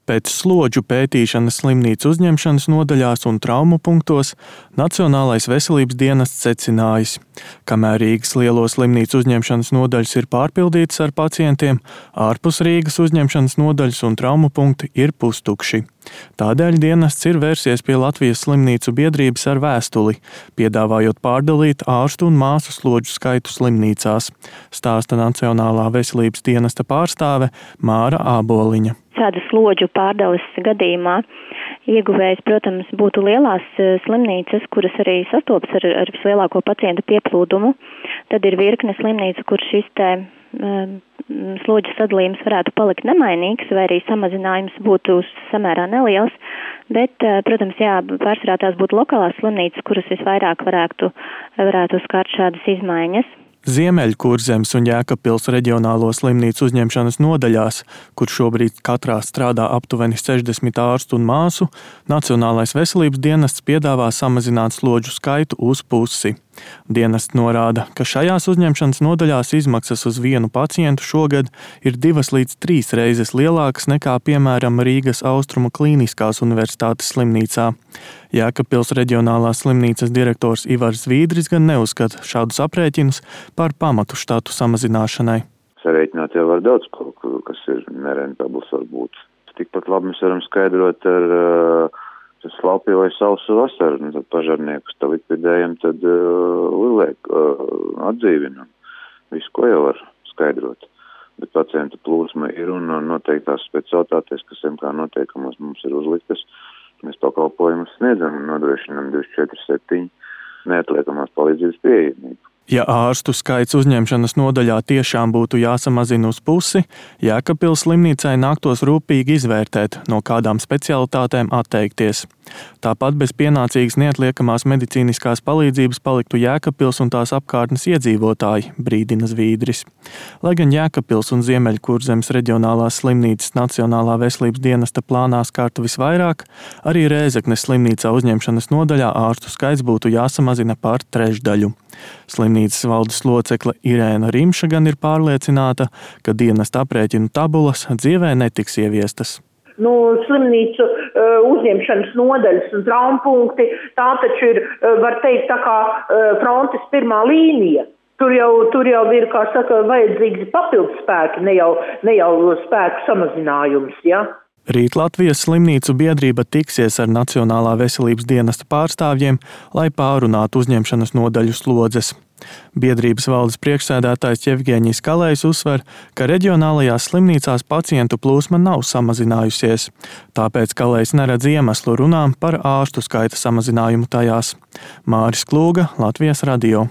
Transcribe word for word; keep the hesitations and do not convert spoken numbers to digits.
Pēc slodžu pētīšanas slimnīcu uzņemšanas nodaļās un traumu punktos Nacionālais veselības dienests secinājis, kamēr Rīgas lielo slimnīcu uzņemšanas nodaļas ir pārpildītas ar pacientiem, ārpus Rīgas uzņemšanas nodaļas un traumu punkti ir pustukši. Tādēļ dienests ir vērsies pie Latvijas slimnīcu biedrības ar vēstuli, piedāvājot pārdalīt ārstu un māsu slodžu skaitu slimnīcās, stāsta Nacionālā veselības dienesta pārstāve Māra Āboliņa. Šāda slodžu pārdales gadījumā ieguvējs, protams, būtu lielās slimnīcas, kuras arī sastopas ar, ar vislielāko pacientu pieplūdumu. Tad ir virkne slimnīcu, kur šis te um, slodžu sadalījums varētu palikt nemainīgs, vai arī samazinājums būtu samērā neliels. Bet, protams, jā, pārsvarā tās būtu lokālās slimnīcas, kuras visvairāk varētu, varētu skart šādas izmaiņas. Ziemeļkurzemes un Jēkabpils reģionālo slimnīcu uzņemšanas nodaļās, kur šobrīd katrā strādā aptuveni sešdesmit ārstu un māsu, Nacionālais veselības dienests piedāvā samazināt slodžu skaitu uz pusi. Dienests norāda, ka šajās uzņemšanas nodaļās izmaksas uz vienu pacientu šogad ir divas līdz trīs reizes lielākas nekā, piemēram, Rīgas Austrumu Klīniskās universitātes slimnīcā. Jēkabpils reģionālās slimnīcas direktors Ivars Vīdris gan neuzskata šādus aprēķinus par pamatu štatu samazināšanai. Sarēķināt jau var daudz kaut ko, kas ir nerentabls varbūt. Tikpat labi mēs varam skaidrot ar uh, slapju vai sausu vasaru, un tad pažarniekus tā likvidējam, tad uh, lielēk uh, atdzīvinam. Visu, ko jau var skaidrot. Bet pacientu plūsma ir un noteiktās specialitātes, kas M K noteikumos mums ir uzliktas. Mēs pakalpojumus sniedzam un nodrošinām divdesmit četri septiņi neatliekamās palīdzības pieejamību. Ja ārstu skaits uzņemšanas nodaļā tiešām būtu jāsamazina uz pusi, Jēkabpils slimnīcai nāktos rūpīgi izvērtēt, no kādām specialitātēm atteikties. Tāpat bez pienācīgas neatliekamās medicīniskās palīdzības paliktu Jēkabpils un tās apkārtnes iedzīvotāji, brīdina Vīdris. Lai gan Jēkabpils un Ziemeļkurzemes reģionālās slimnīcas Nacionālā veselības dienesta plānā skartu visvairāk, arī Rēzeknes slimnīcā uzņemšanas nodaļā ārstu skaits būtu jāsamazina par trešdaļu. Slimnīcas valdes locekle Irēna Rimša gan ir pārliecināta, ka dienesta aprēķinu tabulas dzīvē netiks ieviestas. Nu, slimnīcu uh, uzņemšanas nodaļas un traumapunkti, tā taču ir, uh, var teikt, tā kā uh, frontes pirmā līnija. Tur jau, tur jau ir, kā saka, vajadzīgi papildus spēki, ne jau, ne jau spēku samazinājums, ja? Rīt Latvijas slimnīcu biedrība tiksies ar Nacionālā veselības dienesta pārstāvjiem, lai pārunātu uzņemšanas nodaļu slodzes. Biedrības valdes priekšsēdētājs Jevgeņijs Kalējs uzsver, ka reģionālajās slimnīcās pacientu plūsma nav samazinājusies. Tāpēc Kalējs neredz iemeslu runām par ārstu skaita samazinājumu tajās. Māris Klūga, Latvijas radio.